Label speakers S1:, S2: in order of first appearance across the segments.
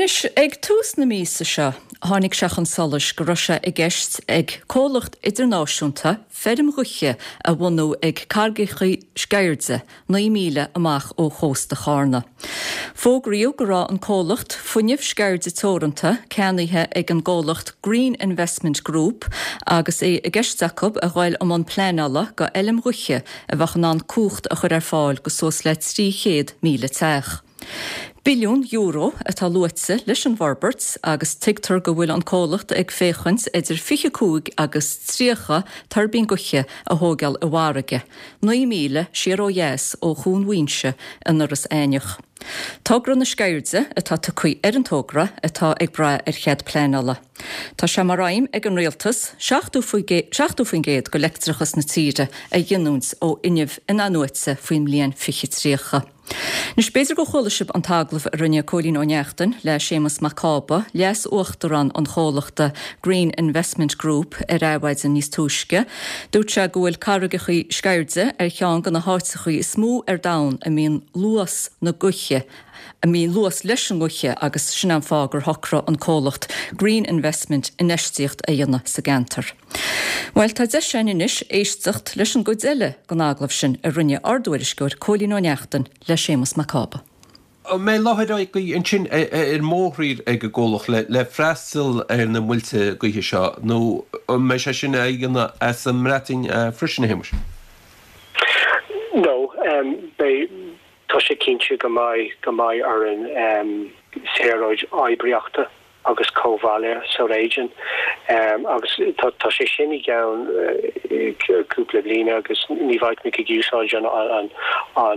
S1: Anois, ag tús na míosa seo, tháinig sé chun solais go raibh sé i gceist ag comhlacht idirnáisiúnta feirm ghaoithe a bhunú ag Carraigeacha Sceirde, 9 míle amach ó chósta Chárna. Fógraíodh go raibh an comhlacht Fuinneamh Sceirde Teoranta ceannaithe ag an gcomhlacht Green Investment Group agus é i gceist acu a ghoil i mbun pleanála go fheilm ghaoithe a bheadh in ann cumhacht a chur ar fáil go suas le 300,000 teach. Billiún euro atá luaite leis an bhforbairt agus tuigtear go bhfuil an comhlacht ag féachaint idir 25 agus 30 tuirbín gaoithe a thóigeáil i bhfarraige, 9 míle siar ó dheas ó Chuan Mhaínse in Iorras Aithneach. Togra na Sceirde atá tugtha ar an togra atá ag brath ar chead pleanála. Tá sé mar aidhm ag an Rialtas 70% de leictreachas na tíre a ghiniúint ó fhuinneamh in-athnuaite faoin mbliain 2030. Anois, b'fhéidir gur chuala sibh an t-agallamh a rinne Cóilín Ó Neachtain le Séamus Mac Cába, Leas-Uachtarán an chomhlachta Green Investment Group ar Adhmhaidin níos túisce. Dúirt sé go bhfuil Carraigeacha Sceirde ar cheann de na háiteachaí is mó ar domhan a mbíonn luas na gaoithe, a mbíonn luas leis an ngaoithe agus sin an fáth gur shocraigh an comhlacht Green Investment infheistíocht a dhéanamh sa gceantar. Bhuel, tá deis againn anois éisteacht leis an gcuid eile den agallamh sin a rinne ár dtuairisceoir Cóilín Ó Neachtain le Séamus Mac Cába.
S2: An mbeidh láthair agaibh ansin ar mórthír ag an gcomhlacht le freastal ar na muilte gaoithe seo nó an mbeidh sé sin á dhéanamh as an mBreatain freisin, a Shéamuis?
S3: No, beidh, tá sé cinnte go mbeidh, go mbeidh orainn saoráid oibríochta agus comhbhaile sa réigiún agus tá sé sin i gceann cúpla bliain agus ní bheidh muid ag úsáid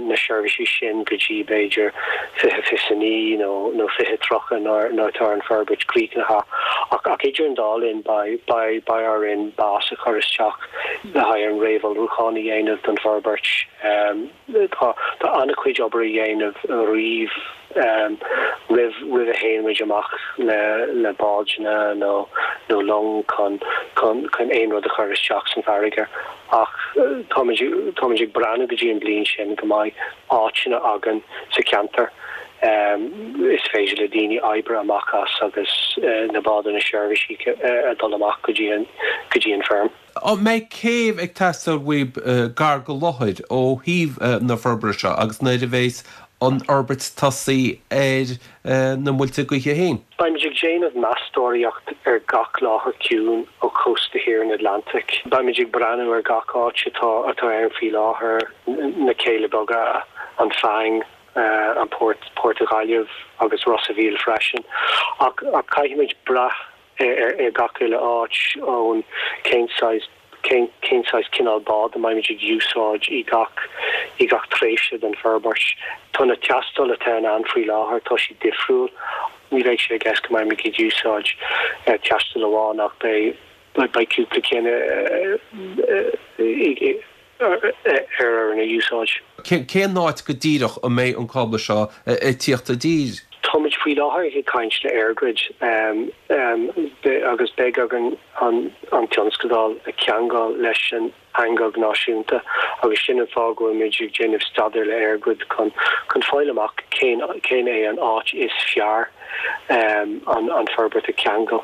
S3: na seirbhísí sin go dtí b'fhéidir 2029 nó 2030 nuair atá an forbairt críochnaithe. Ach idir an dá linn beidh orainn bás a chur isteach le haghaidh an réamhullmhúchán a dhéanamh don bhforbairt. Tá an-chuid obair a dhéanamh roimh roimh roimh a théann muid amach le le bádanna nó nó long chun chun chun aon rud a chur isteach san farraige. Ach táimid táimid ag breathnú go dtí an bliain sin go mbeidh áiteanna againn sa cheantar is féidir le daoine oibriú amach as agus na bádanna seirbhísí a dul amach go dtí an go dtí an feirm.
S2: An mbeidh céibh ag teastáil uaibh gar go láthair ó thaobh na forbartha seo agus nuair a bheas an fhorbairt tosaithe ar na muilte gaoithe féin?
S3: Beimid ag déanamh meastóireacht ar gach láthair ciúin ó chósta thiar an Atlantaigh. Beimid ag breathnú ar gach áit atá atá ann faoi láthair, na Céile Beaga, an Faing, an Port, Port Ghaillimh agus Ros a' Mhíl freisin. Ach caithfimid brath ar gach uile áit ón cén saghas cén cén saghas cineál bád a mbeimid ag úsáid i gach i gach tréimhse den forbairt. Tá na teastáil atá in ann faoi láthair, tá siad difriúil. Ní bheidh sé i gceist go mbeimid ag úsáid teastáil amháin ach beidh beidh cúpla cinn i ar orainn a úsáid.
S2: Cén áit go díreach a mbeidh an cábla seo ag tíocht i dtír?
S3: Táimid faoi láthair ag caint le EirGrid agus beidh againn an tionscadal a cheangal leis an eangach náisiúnta agus sin an fáth go bhfuilimid ag déanamh staidéar le EirGrid chun fáil amach cén cén é an áit is fearr an forbairt a cheangal.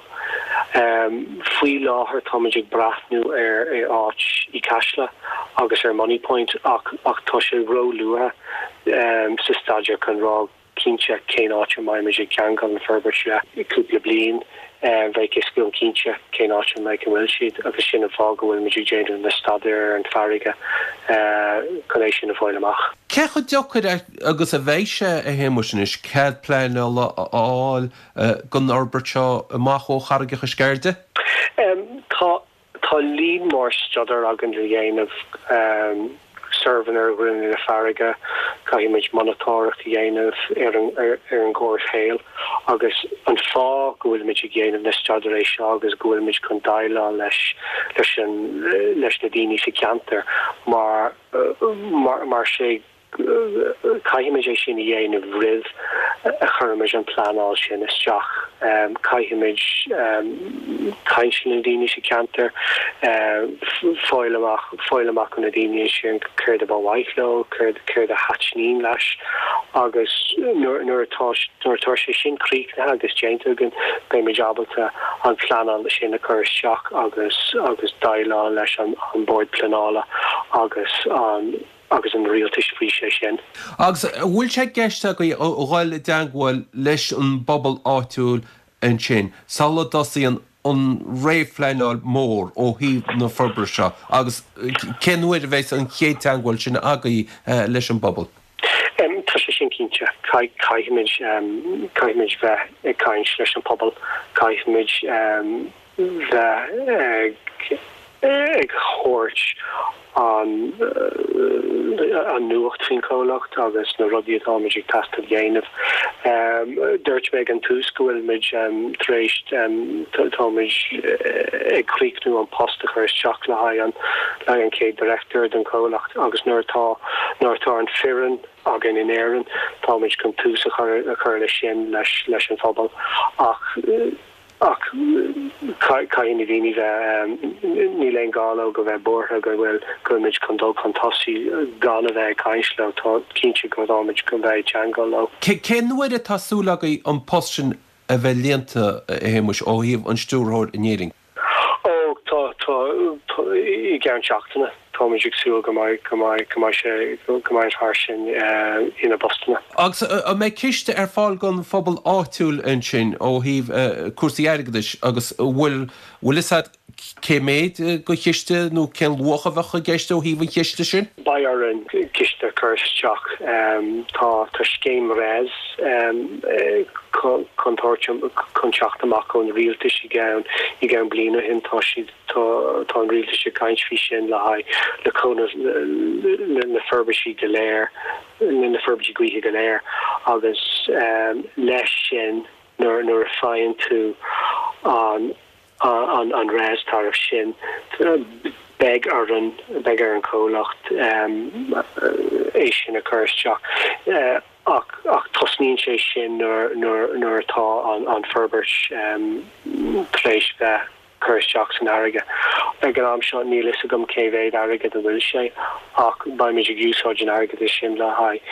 S3: Faoi láthair táimid ag breathnú ar áit i gCasla agus ar Moneypoint ach ach tá sé ró-luath sa staidéar chun rá cinnte cén áit a mbeimid ag ceangal an forbairt le. Cúpla bliain bheidh fhios againn cinnte cén áit a mbeidh a bhfuil siad agus sin an fáth go bhfuilimid ag déanamh na staidéir ar an farraige chun é sin a fháil amach.
S2: Cé chomh deacair agus a bheidh sé, a Shéamuis, anois cead pleanála a fháil don fhorbairt seo amach ó Charraigeacha Sceirde?
S3: Tá Tá líon mór staidéar againn le dhéanamh, suirbhéanna ar ghrinneall na farraige, caithfimid monatóireacht a dhéanamh ar an ar an gcomhshaol agus an fáth go bhfuilimid ag déanamh na staidéir seo agus go bhfuilimid chun déileáil leis leis an leis na daoine sa cheantar mar mar mar sé. Caithfimid é sin a dhéanamh roimh a chuirimid an pleanáil sin isteach. Caithfimid caint le na daoine sa cheantar, fáil amach, fáil amach ó na daoine sin céard a ba mhaith leo, céard, céard a thaitníonn leis agus nuair, nuair atá, nuair atá sé sin críochnaithe agus déanta againn, beimid ábalta an pleanáil sin a chur isteach agus, agus déileáil leis an, an Bord Pleanála agus an. agus an rialtais faoi sé sin.
S2: Agus an bhfuil sé i gceist agaibh a dhul i dteangmháil leis an bpobal áitiúil ansin sula dtosaíonn an réamhphleanáil mhór ó thaobh na forbartha seo agus cén uair a bheas an chéad teangmháil sin agaibh leis an bpobal?
S3: Tá sé sin cinnte. Caithfimid, caithfimid bheith ag caint leis an pobal. Caithfimid bheith ag thabhairt an an nuacht faoin chomhlacht agus na rudaí atáimid ag teastáil dhéanamh. Dúirt mé ag an tús go bhfuilimid tar éis táimid ag críochnú an post a chur isteach le haghaidh an le haghaidh an chéad director don chomhlacht agus nuair atá nuair atá an foireann againn in Éirinn táimid chun tús a chur a chur leis sin leis leis an phobal ach Ach caithfidh na daoine bheith, níl aon ghá leo go bheith buartha go bhfuil, go bhfuilimid chun dul chun tosaigh gan a bheith ag caint leo. Tá cinnte go bhtáimid chun bheith ag teangmháil leo.
S2: Cén uair atá súil agaibh an post sin a bheith líonta, a Shéamuis, ó thaobh an stiúrthóir in Éirinn?
S3: Ó, tá, tá, tá, i gceann seachtaine. Táimid ag súil go mbeidh, go mbeidh, go mbeidh sé, go mbeidh an fear sin ina bpostanna.
S2: Agus an mbeidh ciste ar fáil don phobal áitiúil ansin ó thaobh cúrsaí airgeadais agus an bhfuil, bhfuil fhios agat cé méid de chiste nó cén luach a bheadh i gceist ó thaobh an chiste sin?
S3: Beidh orainn ciste a chur isteach. Tá, tá scéim RES chun tabhairt, chun teacht amach ón rialtas i gceann, i gceann bliain ó shin. Tá siad. Tá an rialtas ag caint faoi sin le haghaidh le cúnamh le na forbairtí go léir, le na forbairtí gaoithe go léir agus leis sin nuair nuair a faigheann tú an an an RES tariff sin beidh orainn beidh ar an chomhlacht é sin a chur isteach ach ach tosnaíonn sé sin nuair nuair nuair atá an an forbairt tar éis bheith cur isteach san fharraige. Ag an am seo níl fhios agam cé mhéad airgead a bhfuil sé ach beimid ag úsáid an airgead sin le haghaidh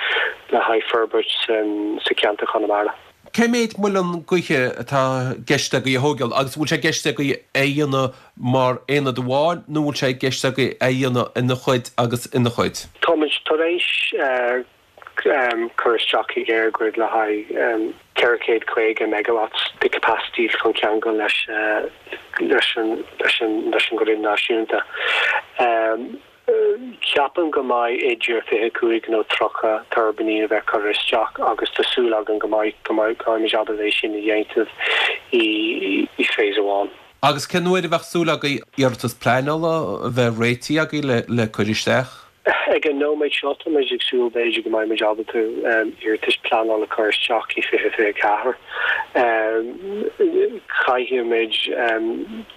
S3: le haghaidh forbairt san sa cheantar Chonamara.
S2: Cé méid muileann gaoithe atá i gceist agaibh a thógáil agus an bhfuil sé i gceist agaibh é a dhéanamh mar aonad amháin nó an bhfuil sé i gceist agaibh é a dhéanamh ina chuid agus ina chuid?
S3: Táimid tar éis cur isteach ag EirGrid le haghaidh 450 megawatts de capacity chun ceangal leis leis an leis an leis an grid náisiúnta. Ceapaim go mbeidh idir 25 nó 30 tuirbíní a bheith curtha isteach agus tá súil againn go mbeidh go mbeidh go mbeimid ábalta é sin a dhéanamh i i phase amháin.
S2: Agus cén uair a bheadh súil agaibh iarratas pleanála a bheith réitithe agaibh le le cur isteach?
S3: Ag an nóiméad seo, táimid ag súil b'fhéidir go mbeimid ábalta iarratais pleanála a chur isteach i 2024. Caithfimid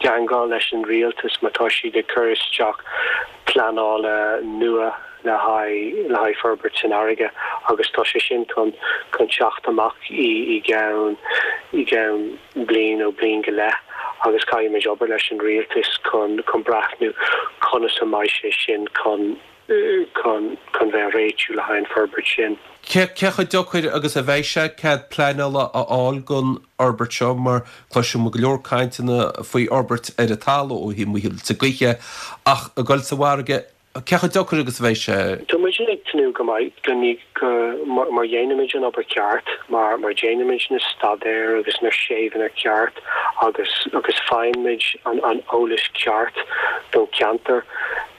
S3: teangmháil leis an rialtas má tá siad ag cur isteach pleanála nua le haghaidh le haghaidh forbairt san fharraige agus tá sé sin chun chun teacht amach i i gceann i gceann bliain nó bliain go leith agus caithfimid obair leis an rialtas chun chun breathnú conas a mbeidh sé sin chun chun chun bheith réitiú le haghaidh an forbairt sin.
S2: Cé cé chomh deacair agus a bheidh sé cead pleanála a fháil don fhorbairt seo mar cloiseann muid go leor cainteanna faoi fhorbairt ar an talamh ó thaobh muilte gaoithe ach ag dul sa bhfarraige Cé chomh deacair agus a bheidh sé?
S3: Tá muid ag tnúth go mbeidh, go ní, go, mar dhéanaimid an obair ceart, mar, mar déanaimid na staidéir agus na suirbhéanna ceart agus, agus faighimid an, an eolas ceart don cheantar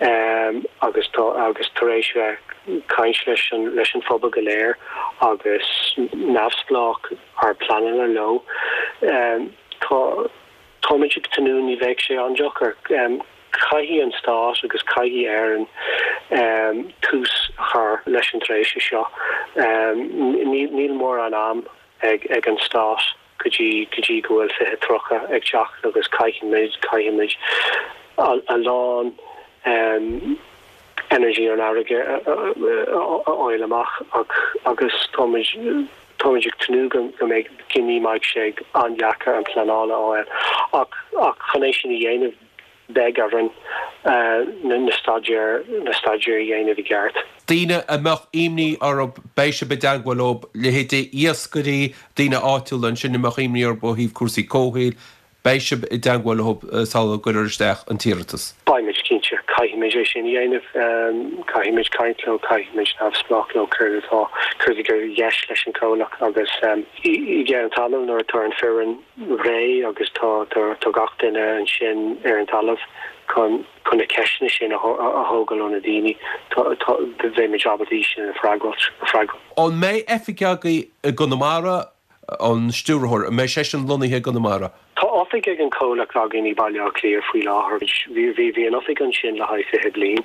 S3: agus tá, agus tar éis bheith caint leis an, leis an phobal go léir agus neamhspleách ár pleananna leo, tá, táimid ag tnúth ní bheidh sé an-deacair. Caithfidh an Stát agus caithfidh Éirinn tús a chur leis an tréimhse seo. Níl mórán am ag an Stát go dtí go dtí go bhfuil 2030 ag teacht agus caithfimid, caithfimid a lán. Energy ar an fharraige a fháil amach ach agus táimid táimid ag tnúth go go mbeidh go ní mbeidh sé an-deacair an pleanáil a fháil ach ach chun é sin a dhéanamh beidh orainn na staidéir na staidéir a
S2: dhéanamh i gceart. Daoine a mbeadh imní orthu, beidh sibh i dteagmháil leo, leithéidí iascairí, daoine áitiúla ansin a mbeadh imní orthu ó thaobh cúrsaí comhshaoil, beidh sibh i dteagmháil leo sula gcuirfear isteach an t-iarratas.
S3: Beimid, cinnte. Caithfimid é sin a dhéanamh. Caithfimid caint leo, caithfimid neamhspleách leo céard atá, céard atá i gceist leis an chomhlacht agus i gceann tamaill nuair atá an foireann réidh agus tá tá gach duine ansin ar an talamh chun chun na ceisteanna sin a thógáil ó na daoine, tá tá beimid ábalta í sin a
S2: freagairt. An mbeidh oifig agaibh i gConamara? An stiúrthóir, an mbeidh seisean lonnaithe i gConamara?
S3: Tá oifig ag an chomhlacht againn i Baile Átha Cliath faoi láthair. Bhí bhí an oifig ansin le haghaidh 20 bliain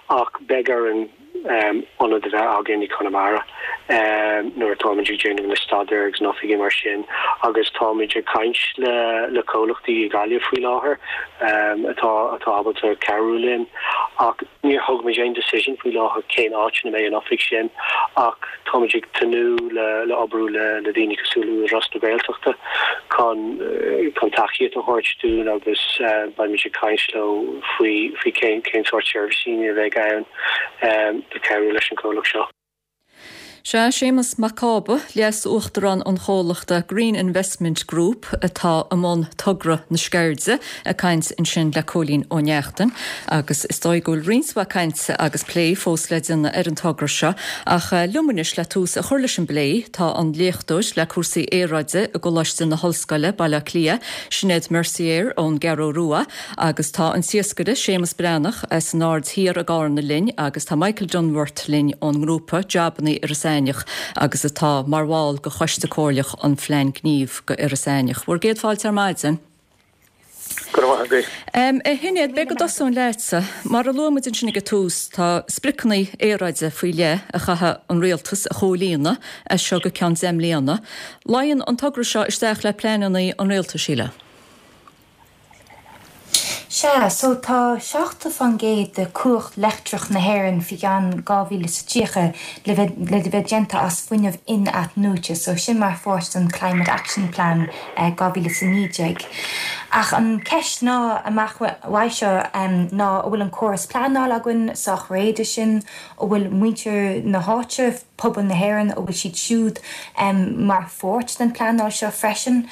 S3: ach beidh orainn ionad a bheith againn i Conamara nuair atáimid ag déanamh na staidéir agus na oifigí mar sin agus táimid ag caint le le comhlachtaí i Gaillimh faoi láthair atá atá ábalta cabhrú linn ach níor thóg muid aon decision faoi láthair cén áit ina mbeidh an oifig sin ach táimid ag tnúth le le oibriú le le daoine cosúil le Údarás na Gaeltachta chun chun tacaíocht a thabhairt dúinn agus beimid ag caint leo faoi faoi cén cén sórt seirbhísí a bheidh ann. le cabhrú leis an gcomhlacht seo.
S1: Sea, Séamus Mac Cába, Leas-Uachtarán an chomhlachta Green Investment Group atá i mbun togra na Sceirde, ag caint ansin le Cóilín Ó Neachtain. Agus is dóigh go bhfuil roinnt mhaith cainte agus plé fós le déanamh ar an togra seo. Ach liom anois le tús a chur leis an bplé tá an léachtóir le cúrsaí aeráide i gColáiste na hOllscoile, Baile Átha Cliath, Sinéad Mercier ón gCeathrú Rua, Agus tá an t-iascaire Séamus Breathnach as an Aird Thiar i gCarna linn agus tá Michael Dunworth linn ón ngrúpa Jobanna Iorras Aithneach agus atá mar bhall de Choiste Comhairleach an Phlean Gnímh go Iorras Aithneach. Bhur gcéad fáilte ar maidin.
S4: Go raibh maith agat.
S1: A Shinéad, b'fhéidir go dtosóinn leatsa. Mar a luaigh muid ansin ag an tús, tá spriocanna aeráide faoi leith a chaithfidh an rialtas a chomhlíonadh as seo go ceann 10 mbliana. Luíonn an togra seo isteach le pleananna an rialtais, sílim.
S5: Sea, so tá 70% de cumhacht leictreach na hÉireann faoi cheann 2030 le bheith le bheith déanta as fuinneamh in-athnuaite, so sin mar pháirt den Climate Action Plan 2019. Ach an ceist ná amach uaidh seo ná an bhfuil an córas pleanála againn sách réidh do sin, an bhfuil muintir na háite, pobal na hÉireann, an bhfuil siad siúd mar pháirt den pleanáil seo freisin.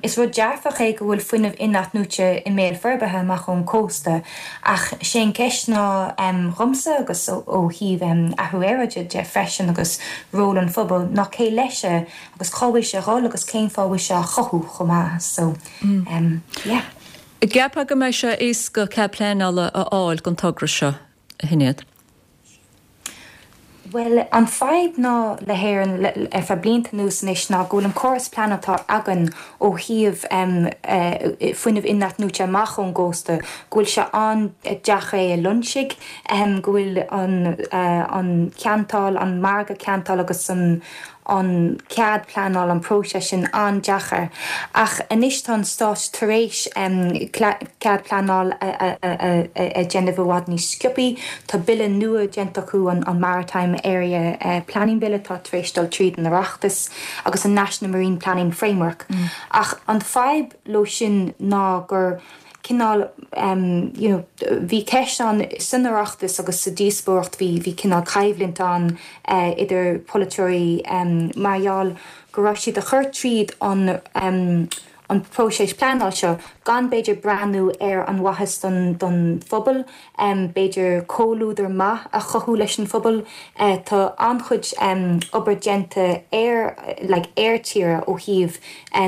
S5: Is rud dearfach é go bhfuil fuinneamh in-athnuaite i mbéal forbartha amach ón cósta ach sé an ceist ná dhomsa agus ó thaobh athrú aeráide de freisin agus ról an phobail ná cé leis é agus cá bhfuil sé a dhul agus cén fáth a bhfuil sé á chothú chomh maith so yeah.
S1: An gceapfá go mbeidh sé éasca cead pleanála a fháil don togra seo, a Shinéad?
S5: Bhuel, an fadhb ná le hÉirinn ar feadh blianta anuas anois ná go bhfuil an córas pleanála atá againn ó thaobh fuinneamh in-athnuaite amach ón gcósta, go bhfuil sé an-deacair é a loingsigh, go bhfuil an ceantáil, an margadh ceantála agus an an cead pleanála, an próiseas sin an-deacair. Ach anois tá an Stát tar éis cead pleanála a dhéanamh i bhfad níos sciobthaí. Tá bille nua déanta acu, an Maritime Area Planning Bill atá tar éis dul tríd an Oireachtas, agus an National Marine Planning Framework. Ach an fadhb leo sin ná gur cineál you know bhí ceist ann san Oireachtas agus sa díospóireacht bhí bhí cineál coimhlint ann idir polaiteoirí mar gheall go raibh siad a chur tríd an an próiseas pleanáil seo gan b'fhéidir breathnú ar an mhaitheas don don phobal b'fhéidir comhluadar maith a chothú leis an phobal. Tá an-chuid obair déanta ar like ar tíre ó thaobh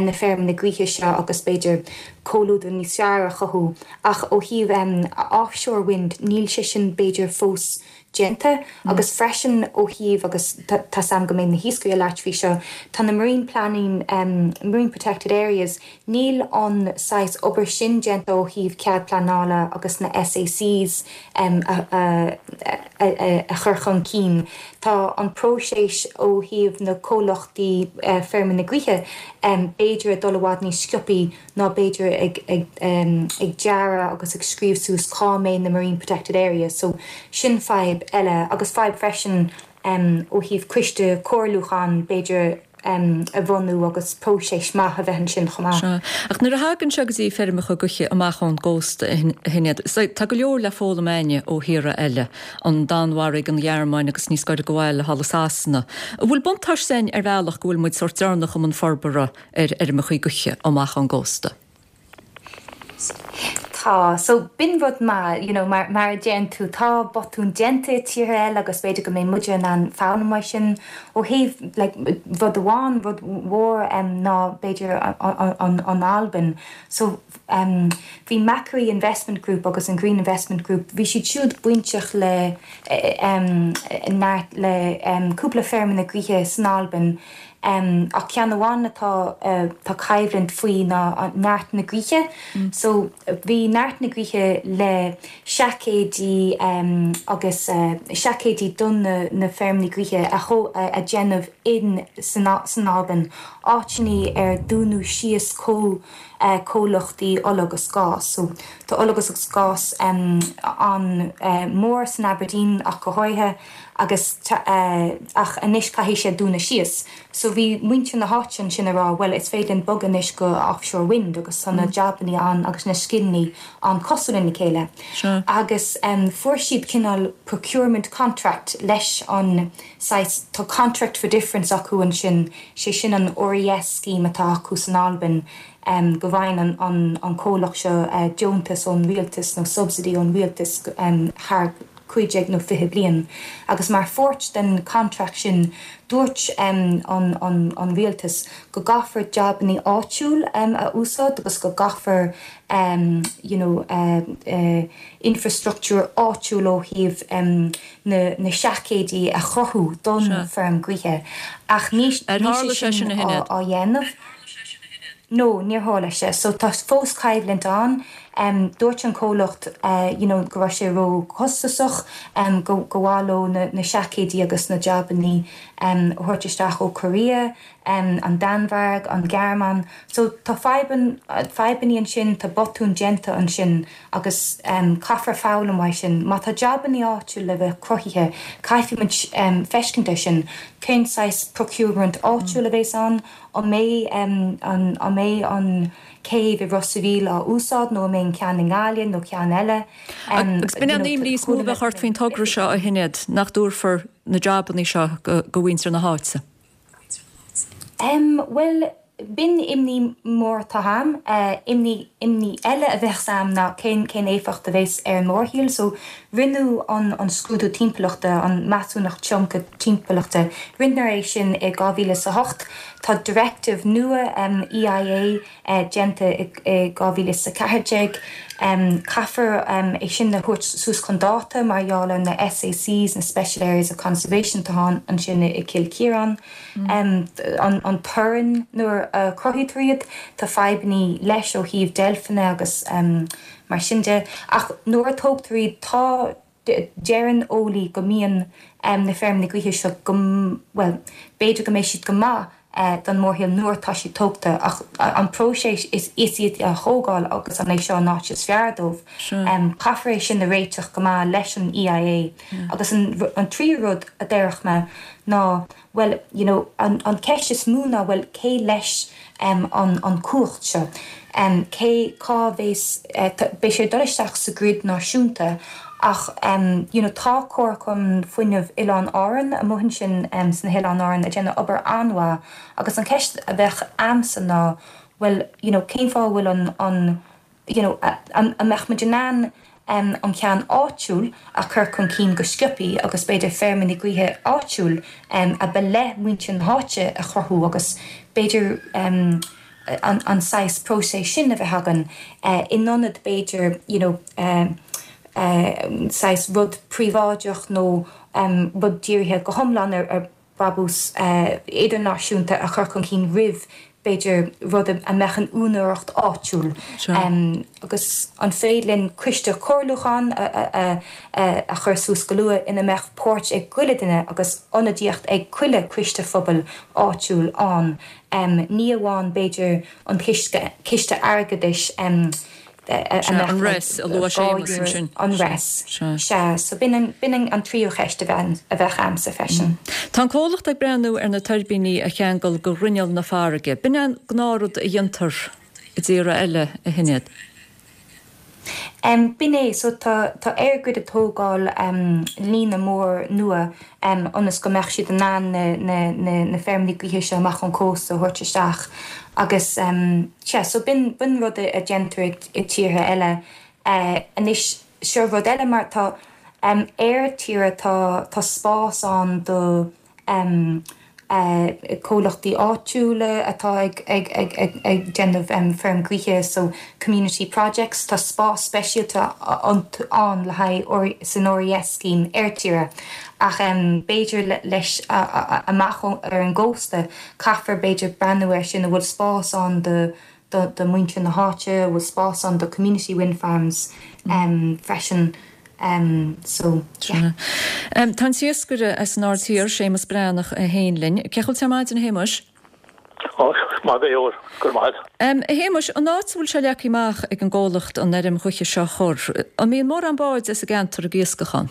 S5: na feirmeanna gaoithe seo agus b'fhéidir comhluadar níos fearr a chothú ach ó thaobh offshore wind níl sé sin b'fhéidir fós déanta agus freisin ó thaobh agus tá's a'm go mbeidh na hiascairí ag labhairt faoi seo tá na marine planning marine protected areas níl an saghas obair sin déanta ó thaobh cead pleanála agus na SACs a a a chur chun cinn. Tá. Tá an próiseas ó thaobh na comhlachtaí feirmeanna gaoithe b'fhéidir ag dul i bhfad níos sciopaí ná b'fhéidir ag ag dearadh agus ag scríobh suas cá mbeidh na marine protected areas. So sin fadhb eile agus fadhb freisin ó thaobh coiste comhairliúcháin b'fhéidir a bhunú agus próiseas maith a bheith ansin chomh maith.
S1: Sea. Ach nuair a thagann sé go dtí feirmeacha gaoithe amach ón gcósta, a Shinéad, tá go leor le foghlaim a'inne ó thíortha eile, an Danmhairg, an Ghearmáin agus níos gaire do bhaile thall i Sasana. An bhfuil buntáiste a'inn ar bhealach go bhfuil muid sórt deireanach i mbun forbartha ar fheirmeacha gaoithe amach ón gcósta?
S5: Tá. So, b'in rud maith, you know, mar, mar a deireann tú, tá botúin déanta i tíortha eile agus b'fhéidir go mbeidh muide in ann foghlaim uaidh sin. Ó thaobh, like, rud amháin, rud mhór, em, ná b'fhéidir an, an Albain. So, em, bhí Macquarie Investment Group agus an Green Investment Group, bhí siad siúd bainteach le, em, neart, le, em, cúpla feirmeanna gaoithe san Albain, Ach ceann amháin atá tá coimhlint faoi ná neart na gaoithe. So bhí neart na gaoithe le seaicéidí agus seaicéidí don na feirmeanna gaoithe a a déanamh in san Albain, áiteanna ar dúnadh síos comh comhlachtaí ola agus gás. So tá ola agus gás an mór san Aberdeen ach go háirithe. agus ach anois caithfidh sé dúnadh síos. So bhí muintir na háite ansin ag rá bhuel is féidir linn bogadh anois go offshore wind agus tá na jabannaí ann agus na scileannaí ann cosúil lena chéile. Agus fuair siad cineál procurement contract leis an saghas, tá contract for difference acu ansin, sé sin an RES scheme atá acu san Albain go bhfaigheann an comhlacht seo deontas ón rialtas nó subsidy ón rialtas thar 15 nó 20 bliain agus mar pháirt den contract sin dúirt an rialtas go gcaithfear jabannaí áitiúil a úsáid agus go gcaithfear you know infrastructúr áitiúil ó thaobh na seaicéidí a chruthú don feirm gaoithe ach níl sé sin á dhéanamh. No, níor tharla sé. So tá fós coimhlint ann. Dúirt an comhlacht you know go raibh sé ró-chostasach, go go mhaith leo na na seaicéidí agus na jabannaí a thabhairt isteach ó Korea, an Danmhairg, an Ghearmáin. So tá fadhbann, fadhbannaí ansin, tá botúin déanta ansin agus caithfear foghlaim uaidh sin. Má tá jabannaí áitiúil le bheith cruthaithe, caithfidh muid feiscint air sin. Cén saghas procurement áitiúil a bhéas ann? An mbeidh an mbeidh an céibh i Ros a' Mhíl á úsáid nó an mbeidh an ceann i nGaillimh nó ceann eile?
S1: Agus b'in é an imní is mó a bheadh ort faoin togra seo, a Shinéad, nach dtabharfar na jabannaí seo go mhuintir na háite?
S5: Bhuel, b'in imní mór atá a'm. Imní imní eile a bheadh a'm ná cén cén éifeacht a bheas ar an mórthimpeall. So Rinneadh an scrúdú timpeallachta, an measúnacht tionchair timpeallachta, rinneadh é sin i 2008. Tá directive nua EIA déanta i 2014. Caithfear é sin a thabhairt suas chun dáta mar gheall ar na SACs, na Special Areas of Conservation atá ann ansin i gCill Chiaráin. An torann nuair a chruthaítear iad, tá fadhbannaí leis ó thaobh deilfeanna agus. Mar sin de, ach nuair a tógtar iad, tá, deireann eolaí go mbíonn na feirmeanna gaoithe seo go, bhuel, b'fhéidir go mbeidh siad go maith don mórthimpeall nuair atá siad tógta, ach an próiseas is iad a thógáil agus an é seo an áit is fearr dóibh, caithfear é sin a réiteach go maith leis an EIA. Agus an tríú rud a déarfadh mé ná, bhuel, you know, an ceist is mó ná, bhuel, cé leis an an cumhacht seo? Cé, cá bhéas, beidh sé ag dul isteach sa grid náisiúnta ach, you know, tá Comharchumann Fuinnimh Oileáin Árann amuigh ansin sna hOileáin Árann ag déanamh obair an-mhaith agus an ceist a bheadh a'msa ná, bhuel, you know, cén fáth a bhfuil an, an, you know, an mbeadh muid in ann an ceann áitiúil a chur chun cinn go sciobthaí agus b'fhéidir feirmeanna gaoithe áitiúil a ba le muintir na háite a chruthú agus b'fhéidir an saghas próiseas sin a bheith againn in ionad b'fhéidir you know saghas rud príobháideach nó rud dírithe go hiomlán ar brabús idirnáisiúnta a chur chun cinn roimh. b'fhéidir, rud a mbeadh in úinéireacht áitiúil agus an féidir linn coiste comhairliúcháin a chur suas go luath ina mbeadh páirt ag chuile duine agus ionadaíocht ag chuile choiste phobail áitiúil ann, ní amháin b'fhéidir an ciste airgeadais.
S1: Sea, an RES a luaigh Séamus ansin.
S5: An RES. Sea, so b'in an tríú cheist a bheadh a'msa freisin.
S1: Tá an comhlacht ag breathnú ar na tuirbíní a cheangal go ghrinneall na farraige. B'in é an gnáthrud a dhéantar i dtíortha eile, a Shinéad.
S5: B'in é, so tá EirGrid ag tógáil líne mór nua ionas go mbeadh siad in ann na feirmeanna gaoithe seo amach ón cósta a thabhairt isteach agus sea, so b'in b'in rud a déantar i tíortha eile. Anois seo rud eile mar tá ar tíre tá tá spás ann do comhlachtaí áitiúla atá ag ag déanamh feirm gaoithe so community projects, tá spás speisialta ann le haghaidh san RES scheme ar tíre ach b'fhéidir leis amach ar an gcósta caithfear b'fhéidir breathnú air sin, an bhfuil spás ann do do mhuintir na háite, an bhfuil spás ann do community wind farms freisin so yeah.
S1: Tá an t-iascaire as an Aird Thiar, Séamus Breathnach, féin linn. Cén chaoi a bhfuil tú ar maidin, a Shéamuis?
S4: Ó, maith go leor, go raibh maith agat.
S1: A Shéamuis, an áit a bhfuil sé leagtha amach ag an gcomhlacht an fheirm ghaoithe seo a chur, an mbíonn mórán báid as an gceantar ag iascach ann?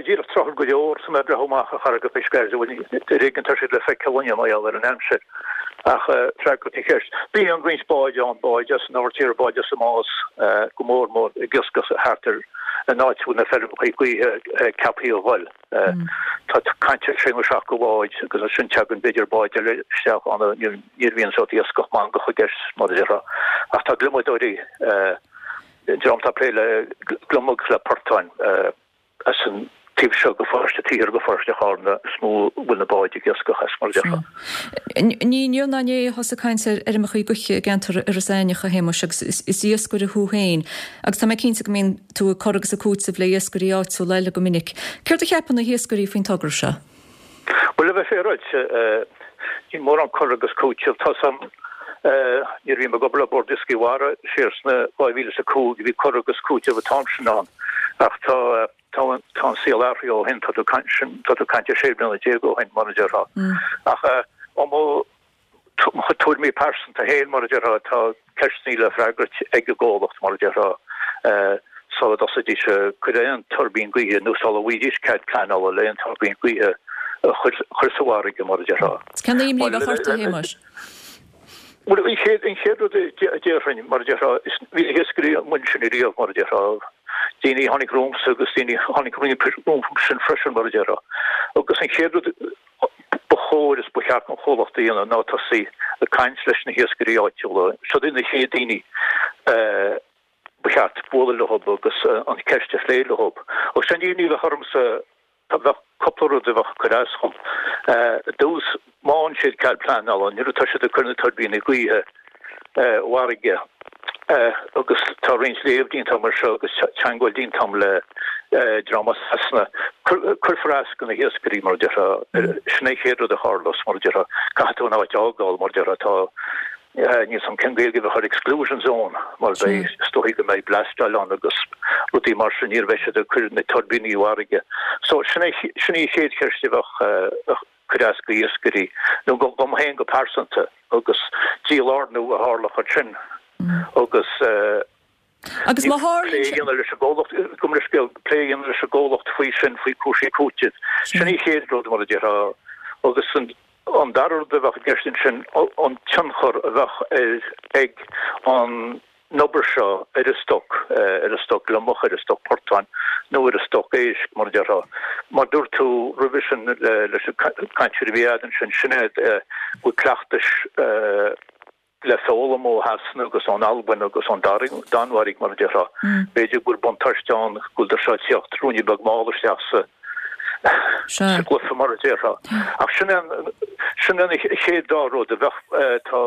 S4: Díreach tráthúil go leor, tá mé ag breathnú amach ar Charraigeacha Sceirde, bhuel ar éigean tá siad le feiceáil inniu mar gheall ar an aimsir. Ach freagairt an cheist, bíonn roinnt báid ann, báid as an Aird Thiar, báid as an Nás, go mór mór ag iascach thart ar an áit a bhfuil na feirmeacha gaoithe ceaptha a dhul. Tá caint ar sé nó 70 bhád agus ansin tagann b'fhéidir báid eile isteach ann, ní bhíonn sórt iascach mangach i gceist mar a déarfá. Ach tá gliomadóirí, dream atá ag plé le gliomaigh agus le portáin as an taobh seo de Pharóiste Taobh Thiar de Pharóiste Chárna is mó a bhfuil na báid ag iascach as, mar a déarfá.
S1: Ní inniu ná inné a thosaigh caint ar fheirmeacha gaoithe i gceantar Iorras Aithneach, a Shéamuis, agus is iascaire thú féin agus tá mé cinnte go mbíonn tú ag cur agus ag cúiteamh le iascairí áitiúla eile go minic. Céard a cheapann na hiascairí faoin togra seo?
S4: Bhuel, le bheith féaráilte, níl mórán cur agus cúiteamh. Tá 's a'm, nuair a bhí mé ag obair le Bord Iascaigh Mhara siar sna 2005, bhí cur agus cúiteamh an t-am sin ann. Ach tá, tá, tá an saol athraithe ó shin, tá tú ag caint, tá tú ag caint ar 16 bliana ó shin, mar a déarfá. Ach, ó mo Mo chuid tuairimí pearsanta féin, mar a déarfá, tá ceisteanna le freagairt ag an gcomhlacht, mar a déarfá, sula dtosaídís ag cur aon tuirbín gaoithe nó sula bhfaighidís cead pleanála le aon tuirbín gaoithe a chur sa bhfarraige, mar a déarfá.
S1: Cén imní a bheadh ort, a Shéamais?
S4: Bhuel, an chéad, an chéad rud a déarfainn, mar a déarfá, is bhí na hiascairí amuigh ansin ariamh, mar a déarfá, daoine a tháinig romhamsa agus daoine a tháinig rompu sin freisin, mar a déarfá. Agus an chéad rud, ba chóir is ba cheart don chomhlacht a dhéanamh ná tosaí ag caint leis na hiascairí áitiúla. Siod iad na chéad daoine ba cheart bualadh leo agus an cheist a phlé leo. Agus sé an imní a bheadh ormsa, bheadh cúpla rud a bheadh ag cur as dhom. I dtús, má fhaigheann siad cead pleanála, nuair atá siad ag cur na tuirbíní gaoithe i bhfarraige agus tá roinnt léamh déanta agam air seo agus teagmháil déanta agam le dream as Sasana. Cuirfear as do na hiascairí mar a déarfá, sin é an chéad rud a tharlós mar a déarfá, caithfidh tú an áit a fhágáil mar a déarfá, tá, níl 's a'm cén Gaeilge a bheadh ar exclusion zone mar beidh, is dóichí go mbeidh blastáil ann agus rudaí mar sin, nuair a bheidh siad ag cur na tuirbíní i bhfarraige. So sin é, sin í an chéad cheist a bheadh, cur as do iascairí, nó dom féin go pearsanta, agus dílárnú a tharlódh ansin agus
S1: Agus má tharlaíonn
S4: plé a dhéanamh leis an gcomhlacht, gabh mo leithscéal, plé a dhéanamh leis an gcomhlacht faoi sin, faoi cúrsaí cúitimh. Sin an chéad rud, mar a déarfá, agus an dara rud a bheadh i gceist ansin, an tionchar a bheadh ar, ag an obair seo ar an stoc, ar an stoc gliomach, ar an stoc portán nó ar an stoc éisc, mar a déarfá. Mar dúirt tú roimhe sin leis an gcainteoir a bhí agat ansin, sin é go bhfuil cleachtais le foghlaim ó Shasana agus ón Albain agus ón Danmhairg, mar a déarfá. B'fhéidir go bhfuil buntáiste ann go bhfuil seo ag teacht ruainne beag mall isteach sa gcluiche, mar a déarfá. Ach sin é an chéad dá rud a bheadh, tá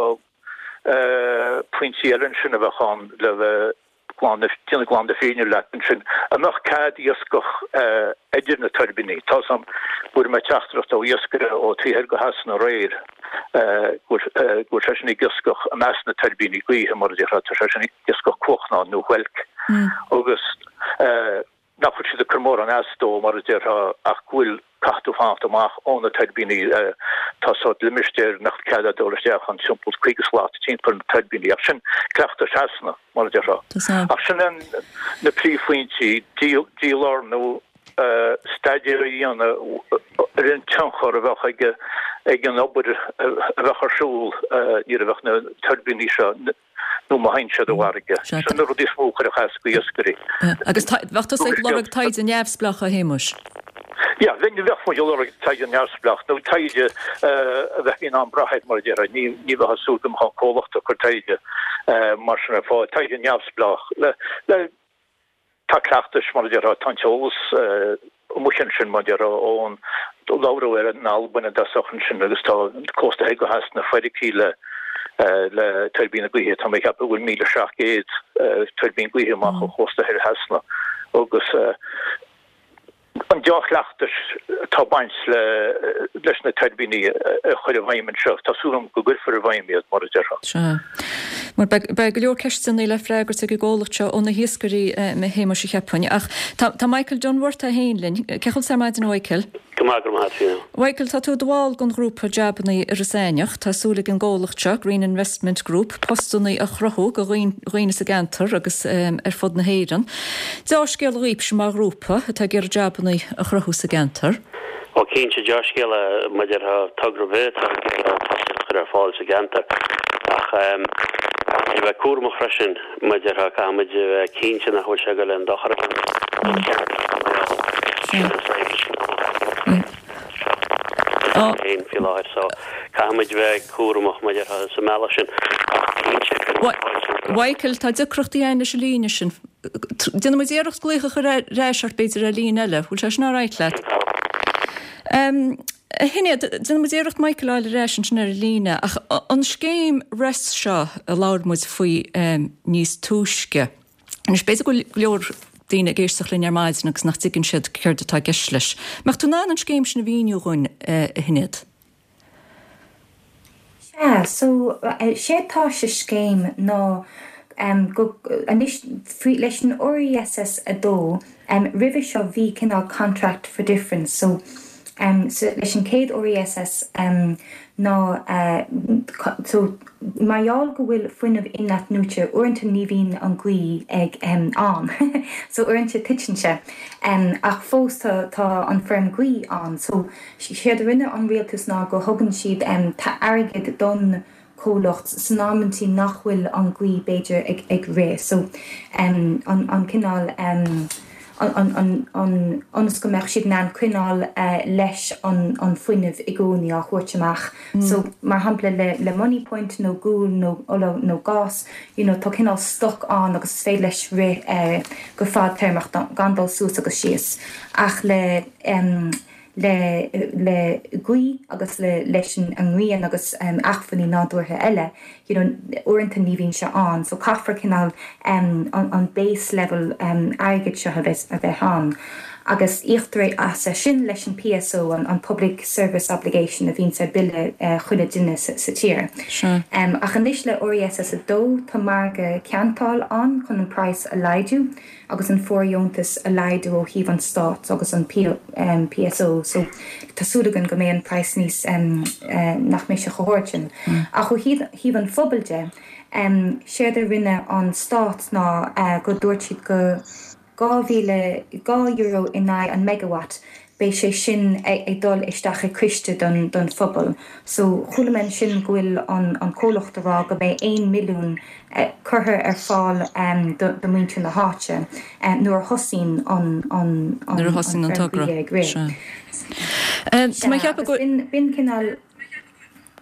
S4: pointí eile ansin a bheadh ann le bheith. glan, déanamh glan na fírinne leat ansin, an mbeadh cead iascach idir na tuirbíní? Tá 's a'm, fuair mé teachtaireacht ó iascaire ó taobh thoir go Shasana aréir go bhfuil seisean ag iascach i measc na tuirbíní gaoithe, mar a déarfá, tá seisean ag iascach cuachnáin nó whelk agus nach bhfuil siad ag cur mórán as dó, mar a déarfá, ach go bhfuil, caithfidh tú fanacht amach ó na tuirbíní, tá sórt limistéar nach bhfuil cead agat dul isteach ann, timpeall 50 slat timpeall na tuirbíní, ach sin cleachtas Shasana, mar a déarfá. Ach sin na príomhphointí, dílárnú, staidéar a dhéanamh ar an tionchar a bheadh ag an obair a bheadh ar siúl nuair a bheadh na tuirbíní seo nó má théann siad i bhfarraige. Sin na rudaí is mó a chuirfeadh as go iascairí.
S1: Agus bheadh tusa ag lorg taighde neamhspleách, a Shéamuis?
S4: Yeah, bheinn, bheadh muid ag lorg taighde neamhspleách nó taighde a bheifí in ann brath air, mar a déarfá. Ní bheifeá ag súil go mbeadh an comhlacht ag cur taighde mar sin ar fáil. Taighde neamhspleách le, le, Tá cleachtais, mar a déarfá, tá an t-eolas amuigh ansin, mar a déarfá, ón labhradh ar in Albain i dtosach ansin agus tá an cósta thoir go theas na feircthe le le tuirbíní gaoithe. Tá mé ag ceapadh go bhfuil 1,700 tuirbín gaoithe amach ó chósta thoir Shasana agus an dea-chleachtais atá ag baint leis na tuirbíní a chur i bhfeidhm anseo. Tá súil agam go gcuirfear i bhfeidhm iad, mar a déarfá.
S1: Sea. Mar beidh go leor ceisteanna le freagairt ag an gcomhlacht seo ó na hiascairí, a Shéamuis, cheapfainn. Ach tá Michael Dunworth é féin linn. Cén chaoi a bhfuil tú ar maidin, a Mhichael?
S6: Go maith, go raibh maith agat, Fiona.
S1: Mhichael, tá tú i do bhall den ghrúpa Jabannaí i Ros Eidhneach. Tá súil ag an gcomhlacht seo, Green Investment Group, postannaí a chruthú do dhaoine sa gceantar agus ar fud na hÉireann. Deá-scéala dhaoibhse mar ghrúpa atá ag iarraidh jabannaí a chruthú sa gceantar.
S6: Ó cinnte, deá-scéala maidir le togra ar bith atá ag iarraidh postanna a chur ar fáil sa gceantar. Ach caithfimid a bheith cúramach freisin maidir le, caithfimid a bheith cinnte nach bhfuil sé ag dul aon dochar a dhéanamh don cheantar mar gheall sin an saghas féin faoi láthair. So caithfimid a bheith cúramach maidir le sa mbealach sin. Ach cinnte,
S1: Mhichael, tá deacrachtaí againn leis an líne sin. Déanfaidh muid iarracht glaoch a chur ar ais ort b'fhéidir ar líne eile. Bhfuil sé sin alright leat? A Shinéad, déanfaidh muid iarracht Michael a fháil ar ais ansin ar an líne ach an scéim RES seo a labhair muid faoi níos túisce. Anois b'fhéidir go bhfuil go leor daoine ag éisteacht linn ar maidin agus nach dtuigeann siad céard atá i gceist leis. Mbeadh tú in ann an scéim sin a mhíniú dhúinn, a Shinéad?
S5: Sea, so, séard tá sa scéim ná go, anois, faoi, leis an RESS 2, roimhe seo bhí cineál contract for difference, so, so leis an chéad RESS ná, so, mar gheall go bhfuil fuinneamh in-athnuaite, uaireanta ní bhíonn an ghaoth ag, ann, so uaireanta titeann sé, ach fós tá, tá an feirm ghaoithe ann, so, Séard a rinne an rialtas ná go thugann siad airgead don chomhlacht san amantaí nach bhfuil an ghaoth b'fhéidir ag ag rith so an an cineál an an an an ionas go mbeadh siad in ann coinneáil leis an an fuinneamh i gcónaí á thabhairt amach so mar shampla le le Moneypoint nó gual nó ola nó gás you know tá cineál stoc ann agus is féidir leis rith go fadtéarmach gan dul suas agus síos ach le le le gaoth agus le leis an ngrian agus acmhainní nádúrtha eile, you know uaireanta ní bhíonn sé ann so caithfear cineál an an base level airgid seo a bheith a bheith ann agus íoctar é as sin leis an PSO, an an Public Service Obligation a bhíonns ar bille chuile duine sa sa tír. Ach anois le RESS 2 tá margadh ceantáil ann chun an praghas a laghdú. agus an fóirdheontas a laghdú ó thaobh an Stáit agus an PSO so tá súil againn go mbeidh an praghas níos, nach mbeidh sé chomh hard sin. Ach ó thaobh an phobail de, séard a rinne an Stát ná go dúirt siad go 2,000, €2 in aghaidh an megawatt, beidh sé sin ag dul isteach i ciste don don phobal. So chuala mé ansin go bhfuil an an comhlacht a rá go mbeidh 1 milliún curtha ar fáil do do muintir na háite nuair a thosaíonn an an an
S1: Nuair a thosaíonn an togra.
S5: ag rith.
S1: Sea. Tá mé ag
S5: Sea,
S1: ceapadh
S5: agus
S1: go.
S5: b'in b'in cineál.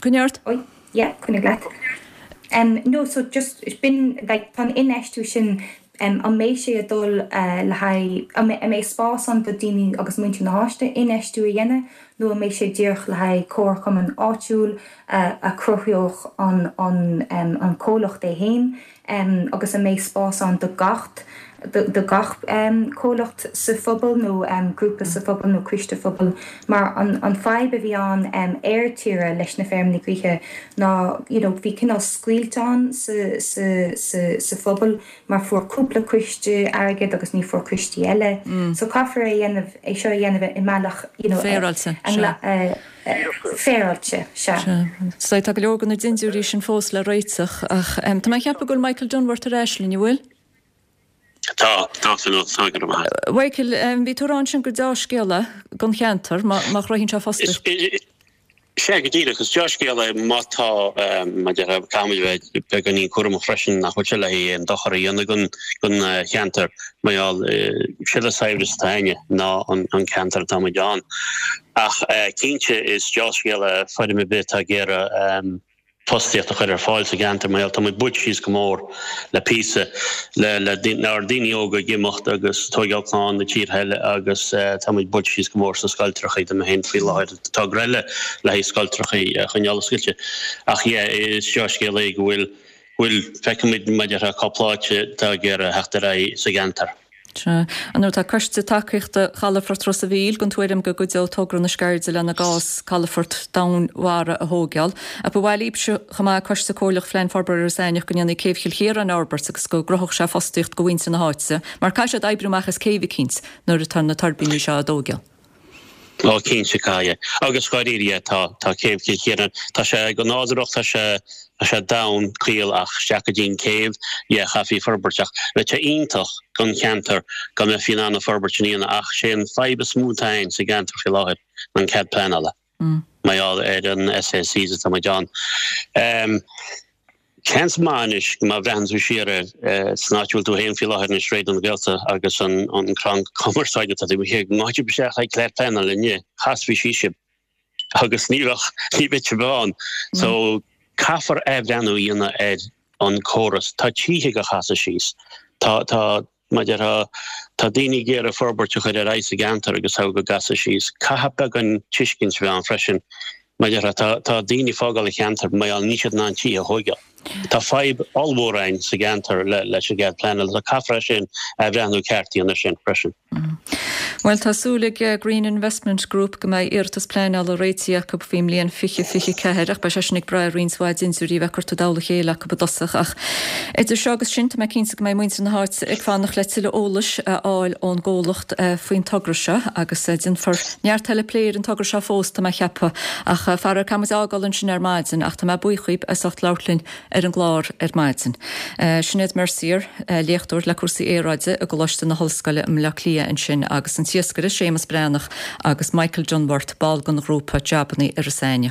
S1: Coinnigh ort.
S5: Oi, yeah, coinnigh leat. No, so just b'in like tá an infheistiú sin. An mbeidh sé ag dul le haghaidh, an mbeidh spás ann do daoine agus muintir na háite infheistiú a dhéanamh nó an mbeidh sé díreach le haghaidh comharchumann áitiúil a chruthódh an comhlacht é féin agus an mbeidh spás ann do gach do gach comhlacht sa phobal nó grúpa sa phobal nó coiste phobail mar an fadhb a bhí ann ar tíre leis na feirmeanna gaoithe ná you know bhí cineál scoilt ann sa sa sa sa phobal mar fuair cúpla coiste airgead agus ní fuair coistí eile so caithfear é dhéanamh é seo a dhéanamh i mbealach you know
S1: Féaráilte, sea.
S5: féaráilte, sea.
S1: Sea. So tá go leor de na dindiúirí sin fós le réiteach ach tá mé ag ceapadh go bhfuil Michael Dunworth ar ais linn, an bhfuil?
S6: Tá, tá san tá go raibh maith.
S1: Mhichael, bhí tú ag rá ansin gur deá-scéal é don cheantar má má chruthaíonn sé fostaíocht.
S6: Sea, go díreach. Is deá-scéal é má tá, mar a déarfá, caithfimid a bheith beagáinín cúramach freisin nach bhfuil sé le haghaidh aon dochar a dhéanamh don don cheantar mar gheall sé an saibhreas atá againne ná an ceantar atá muid ann. Ach cinnte is deá-scéal é feirm ar bith atá ag iarraidh fostaíocht a chur ar fáil sa gceantar mar gheall tá muid buailte síos go mór le píosa le le ár daoine óga ag imeacht agus tóigeáil clann i tíortha eile agus tá muid buailte síos go mór sna scoiltreachaí tá mé féin faoi láthair togra eile le haghaidh scoiltreachaí a choinneáil oscailte ach yeah is deá-scéal é go bhfuil bhfuil feicimid mar a déarfá cúpla áit atá ag iarraidh theacht ar aghaidh sa gceantar.
S1: Sea. Ar ndóigh tá Coiste Tacaíochta Chalafort Ros a' Mhíl den tuairim go gcuideodh togra na Sceirde lena gcás calafort domhainmhara a thóigeáil. Ach ba mhaith libhse chomh maith, Coiste Comhairleach Phlean Forbartha Iorras Aithneach, go ndéanfaí Céibh Chill Chiaráin a fhorbairt agus go gcruthódh sé fostaíocht do mhuintir na háite, mar caithfidh siad oibriú amach as céibh eicínt nuair atá na tuirbíní seo á dtóigeáil.
S6: Ó cinnte caithfidh. Agus dháiríre yeah tá tá Céibh Chill Chiaráin tá sé go nádúrach tá sé tá sé domhain caol ach isteach go dtí an céibh yeah chaithfí forbairt ach bheadh sé iontach don cheantar go mbeifí in ann an forbairt sin a dhéanamh ach sé an fadhb is mó atá ann sa gceantar faoi láthair ná an cead pleanála mar gheall ar an SACs atá muid ann. Seans maith anois má bhreathann tú siar air san áit a bhfuil tú féin faoi láthair anois, Raidió na Gaeltachta agus an crann cumarsáide atá taobh thiar, go ngabhfadh sibh isteach le cead pleanála inniu, chasfaí síos sibh agus ní bheadh, ní bheadh sibh ann. So caithfear athbhreathnú a dhéanamh ar an córas. Tá tithe á gcasadh síos. Tá, tá, Mar a déarfá, tá daoine ag iarraidh forbairt a chur ar aghaidh sa gceantar agus tá á gcasadh síos. Caithfidh beagán tuiscint a bheith ann freisin. Mar a déarfá, tá, tá daoine ag fágáil an cheantair mar gheall níl siad in ann tithe a thóigeáil. Tá fadhb ollmhór ann sa gceantar le, leis an gcead pleanála. So caithfear é sin, athbhreathnú ceart a dhéanamh air sin freisin.
S1: Bhuel, tá súil ag Green Investment Group go mbeidh iarratas pleanála réitithe acu faoin mbliain 2024 ach beidh sé sin ag brath ar roinnt mhaith dintiúirí a bheith curtha i dtoll a chéile acu i dtosach. Ach idir seo agus sin, tá mé cinnte go mbeidh muintir na háite ag fanacht le tuilleadh eolais a fháil ón gcomhlacht faoin togra seo agus déanfar neart eile plé ar an togra seo fós, tá mé a cheapadh. Ach faraor, caithfidh muid é a fhágáil ansin ar maidin ach tá mé buíoch dhaoib as ucht labhairt linn ar an gclár ar maidin. Sinéad Mercier, léachtóir le cúrsaí aeráide i gColáiste na hOllscoile i mBleá Cliath ansin agus an t-iascaire Séamus Breathnach agus Michael Dunworth, ball den ghrúpa Jabannaí Iorras Aithneach.